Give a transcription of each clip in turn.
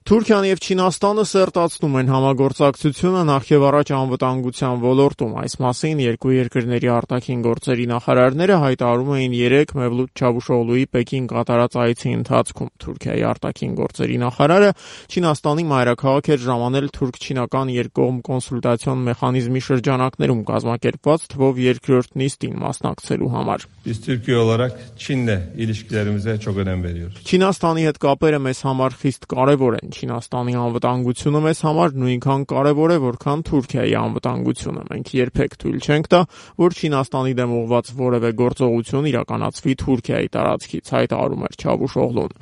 Թուրքիան և Չինաստանը սերտացնում են համագործակցությունը նախ եւ առաջ անվտանգության ոլորտում։ Այս մասին երկու երկրների արտաքին գործերի նախարարները հայտարարում էին 3 Մևլութ Չավուշօղլուի Պեկին կատարած այցի ընթացքում։ Թուրքիայի արտաքին գործերի նախարարը Չինաստանի մայրաքաղաք էր ժամանել թուրք-չինական երկկողմ կոնսուլտացիոն մեխանիզմի շրջանակներում կազմակերպված թվով երկրորդ նիստին մասնակցելու համար։ Չինաստանի հետ կապերը մեզ համար խիստ կարևոր են։ Չինաստանի անվտանգությունը մեզ համար նույնքան կարևոր է, որքան Թուրքիայի անվտանգությունը։ Մենք երբեք թույլ չենք տա, որ Չինաստանի դեմ ուղղված որևէ գործողություն իրականացվի Թուրքիայի տարածքից, հայտարարում էր Չավուշօղլուն։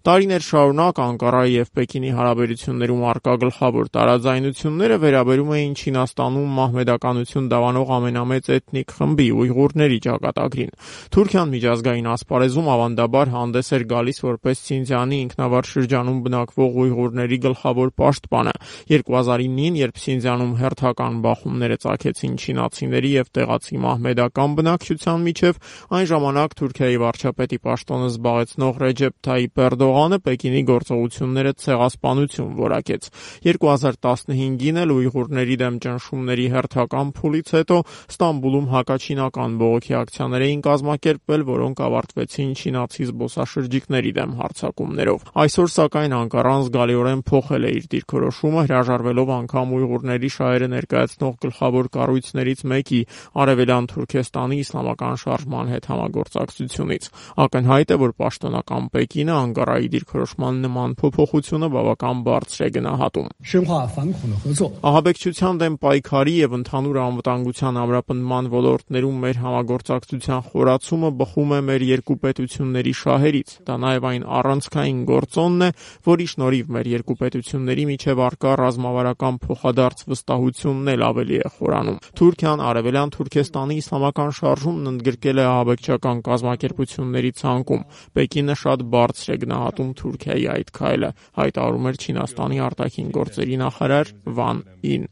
Տարիներ շարունակ Անկարայի և Պեկինի հարաբերություններում առկա գլխավոր տարաձայնությունները վերաբերում էին Չինաստանում մահմեդականություն դավանող ամենամեծ էթնիկ խմբի՝ ույղուրների ճակատագրին։ Թուրքիան միջազգային ասպարեզում ավանդաբար հանդես էր գալիս որպես Սինջիանի ինքնավար շրջանում բնակվող ույղուրների գլխավոր պաշտպանը։ 2009-ին, երբ Սինջիանում հերթական բախումները ծագեցին չինացիների և տեղացի մահմեդական բնակչության միջև, այն ժամանակ Թուրքիայի վարչապետի պաշտոնը զբաղեցնող Ռեջեփ Թայիփ Էրդողանը Պեկինի գործողությունները ցեղասպանություն որակեց։ 2015-ին էլ ույղուրների դեմ ճնշումների հերթական փուլից հետո Ստամբուլում հակաչինական բողոքի ակցիաներ էին կազմակերպվել, որոնք ավարտվեցին չինացի զբոսաշրջիկների դեմ հարձակումներով։ Այսօր, սակայն, Անկարան զգալիորեն փոխել է իր դիրքորոշումը, հրաժարվելով անգամ ույղուրների շահերը ներկայացնող գլխավոր կառույցներից մեկի՝ Արևելյան Թուրքեստանի իսլամական շարժման հետ համագործակցությունից։ Ակնհայտ է, որ պաշտոնական Պեկինը Անկարայի դիրքորոշման նման փոփոխությունը բավական բարձր է գնահատում։ Ահաբեկչության դեմ պայքարի և ընդհանուր անվտանգության ամրապնդման ոլորտներում մեր համագործակցության խորացումը բխում է մեր երկու պետությունների շահերից։ Դա նաև այն առանցքային գործոնն է, որի շնորհիվ մեր երկու պետությունների միջև առկա ռազմավարական փոխադարձ վստահությունն էլ ավելի է խորանում։ Թուրքիան Արևելյան Թուրքեստանի իսլամական շարժումն ընդգրկել է ահաբեկչական կազմակերպությունների ցանկում։ Պեկինը շատ բարձր է գնահատում Թուրքիայի այդ քայլը, հայտարարում էր Չինաստանի արտաքին գործերի նախարար Վան Ին։